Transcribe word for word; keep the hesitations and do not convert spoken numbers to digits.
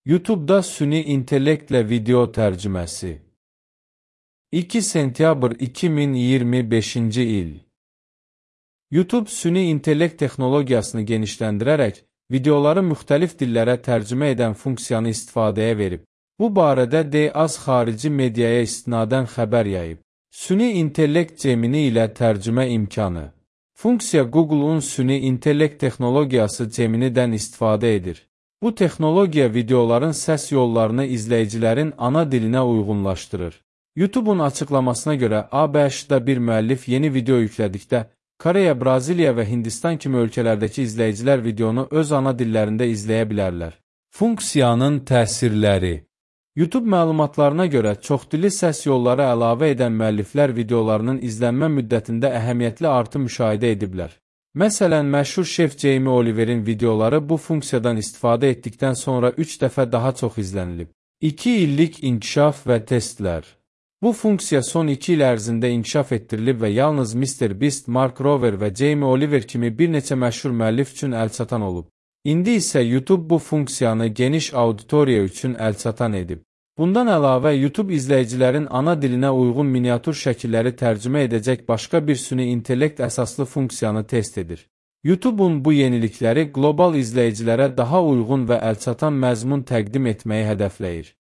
YouTube-da süni intellektlə video tərcüməsi. iki sentyabr iki min iyirmi beşinci il. YouTube süni intellekt texnologiyasını genişləndirərək, videoları müxtəlif dillərə tərcümə edən funksiyanı istifadəyə verib. Bu barədə D A Z xarici mediaya istinadən xəbər yayıb. Süni intellekt Gemini ilə tərcümə imkanı. Funksiya Google-un süni intellekt texnologiyası Gemini-dən istifadə edir. Bu texnologiya videoların səs yollarını izləyicilərin ana dilinə uyğunlaşdırır. YouTube-un açıqlamasına görə A B Ş-da bir müəllif yeni video yüklədikdə, Koreya, Braziliya və Hindistan kimi ölkələrdəki izləyicilər videonu öz ana dillərində izləyə bilərlər. Funksiyanın təsirləri. YouTube məlumatlarına görə çoxdilli səs yolları əlavə edən müəlliflər videolarının izlənmə müddətində əhəmiyyətli artım müşahidə ediblər. Məsələn, məşhur şef Jamie Oliver'in videoları bu funksiyadan istifadə etdikdən sonra üç dəfə daha çox izlənilib. iki illik inkişaf və testlər. Bu funksiya son iki il ərzində inkişaf etdirilib və yalnız mister Beast, Mark Rober və Jamie Oliver kimi bir neçə məşhur müəllif üçün əlçatan olub. İndi isə YouTube bu funksiyanı geniş auditoriya üçün əlçatan edib. Bundan əlavə, YouTube izləyicilərin ana dilinə uyğun miniatür şəkilləri tərcümə edəcək başqa bir süni intellekt əsaslı funksiyanı test edir. YouTube-un bu yenilikləri qlobal izləyicilərə daha uyğun və əlçatan məzmun təqdim etməyi hədəfləyir.